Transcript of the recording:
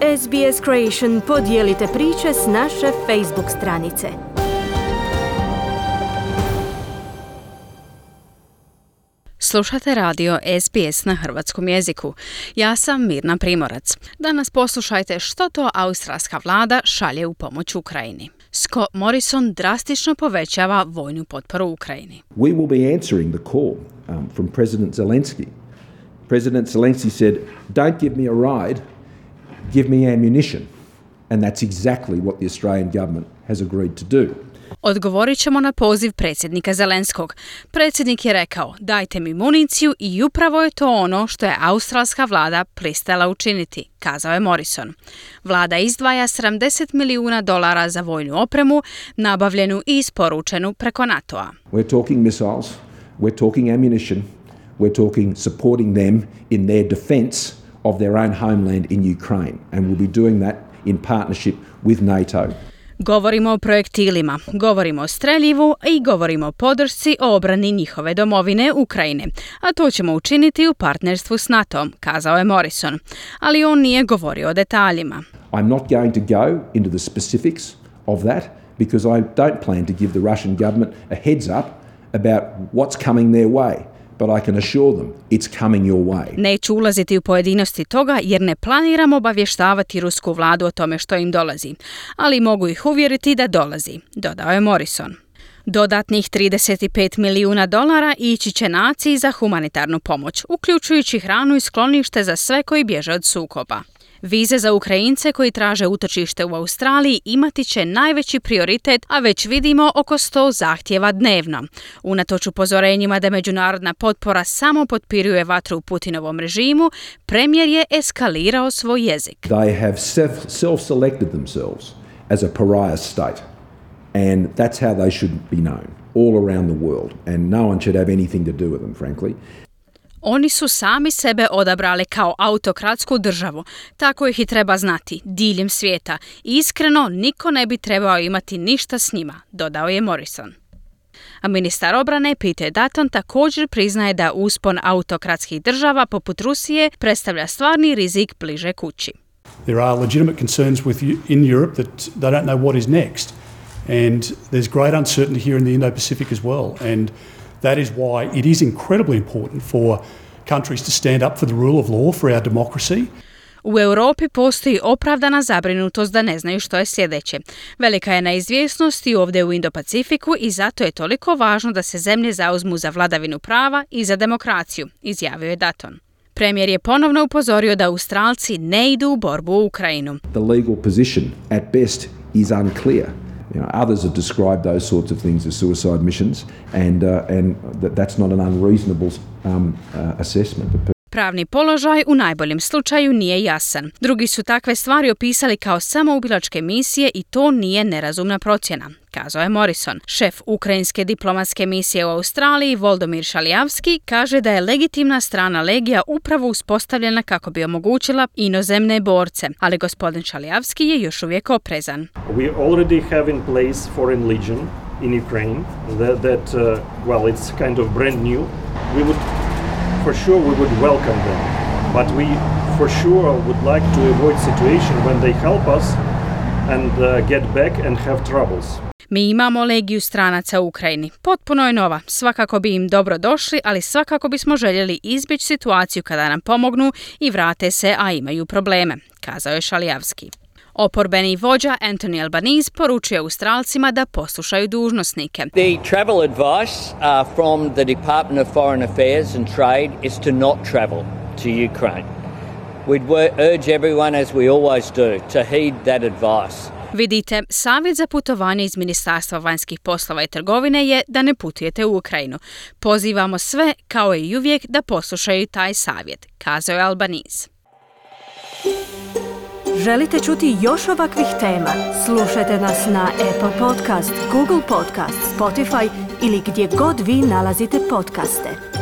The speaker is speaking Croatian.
SBS Creation podijelite priče s naše Facebook stranice. Slušate radio SBS na hrvatskom jeziku. Ja sam Mirna Primorac. Danas poslušajte što to australska vlada šalje u pomoć Ukrajini. Scott Morrison drastično povećava vojnu potporu Ukrajini. We will be answering the call from President Zelensky. President Zelensky said, "Don't give me a ride, give me ammunition." And that's exactly what the Australian government has agreed to do. Odgovorit ćemo na poziv predsjednika Zelenskog. Predsjednik je rekao, dajte mi municiju i upravo je to ono što je australska vlada pristala učiniti, kazao je Morrison. Vlada izdvaja $70 milijuna za vojnu opremu, nabavljenu i isporučenu preko NATO-a. We're talking missiles, we're talking ammunition, we're talking supporting them in their defense of their own homeland in Ukraine, and we'll be doing that in partnership with NATO. Govorimo o projektilima, govorimo o streljivu i govorimo o podršci o obrani njihove domovine Ukrajine, a to ćemo učiniti u partnerstvu s NATO-om, kazao je Morrison. Ali on nije govorio o detaljima. I'm not going to go into the specifics of that because I don't plan to give the Russian government a heads up about what's coming their way. But I can assure them it's coming your way. Neću ulaziti u pojedinosti toga jer ne planiram obavještavati rusku vladu o tome što im dolazi, ali mogu ih uvjeriti da dolazi, dodao je Morrison. Dodatnih $35 milijuna ići će naciji za humanitarnu pomoć, uključujući hranu i sklonište za sve koji bježe od sukoba. Vize za Ukrajince koji traže utočište u Australiji imati će najveći prioritet, a već vidimo oko 100 zahtjeva dnevno. Unatoč upozorenjima da međunarodna potpora samo potpiruje vatru u Putinovom režimu, premijer je eskalirao svoj jezik. They have self-selected themselves as a pariah state, and that's how they should be known all around the world, and no one should have anything to do with them, frankly. Oni su sami sebe odabrali kao autokratsku državu, tako ih i treba znati, diljem svijeta. Iskreno, niko ne bi trebao imati ništa s njima, dodao je Morrison. A ministar obrane Peter Dutton također priznaje da uspon autokratskih država poput Rusije predstavlja stvarni rizik bliže kući. There are legitimate concerns in Europe that they don't know what is next, and there's great uncertainty here in the Indo-Pacific as well, and that is why it is incredibly important for countries to stand up for the rule of law, for our democracy. U Europi postoji opravdana zabrinutost da ne znaju što je sljedeće. Velika je neizvjesnost i ovdje u Indo-Pacifiku i zato je toliko važno da se zemlje zauzmu za vladavinu prava i za demokraciju, izjavio je Dutton. Premijer je ponovno upozorio da Australci ne idu u borbu u Ukrajinu. The legal position at best is unclear. Others have described those sorts of things as suicide missions, and that's not an unreasonable assessment. Pravni položaj u najboljem slučaju nije jasan. Drugi su takve stvari opisali kao samoubilačke misije i to nije nerazumna procjena, kazao je Morrison. Šef ukrajinske diplomatske misije u Australiji, Volodymyr Šalijavski, kaže da je legitimna strana legija upravo uspostavljena kako bi omogućila inozemne borce, ali gospodin Šalijavski je još uvijek oprezan. We already have in place Foreign Legion in Ukraine it's kind of brand new. For sure we would welcome them, but we for sure would like to avoid situation when they help us and get back and have troubles. Mi imamo legiju stranaca u Ukrajini. Potpuno je nova. Svakako bi im dobro došli, ali svakako bismo željeli izbjeći situaciju kada nam pomognu i vrate se, a imaju probleme, kazao je Šalijavski. Oporbeni vođa Anthony Albanese poručuje Australcima da poslušaju dužnosnike. The travel advice from the Department of Foreign Affairs and Trade is to not travel to Ukraine. We'd urge everyone, as we always do, to heed that advice. Vidite, savjet za putovanje iz Ministarstva vanjskih poslova i trgovine je da ne putujete u Ukrajinu. Pozivamo sve, kao i uvijek, da poslušaju taj savjet, kazao je Albanese. Želite čuti još ovakvih tema? Slušajte nas na Apple Podcast, Google Podcast, Spotify ili gdje god vi nalazite podcaste.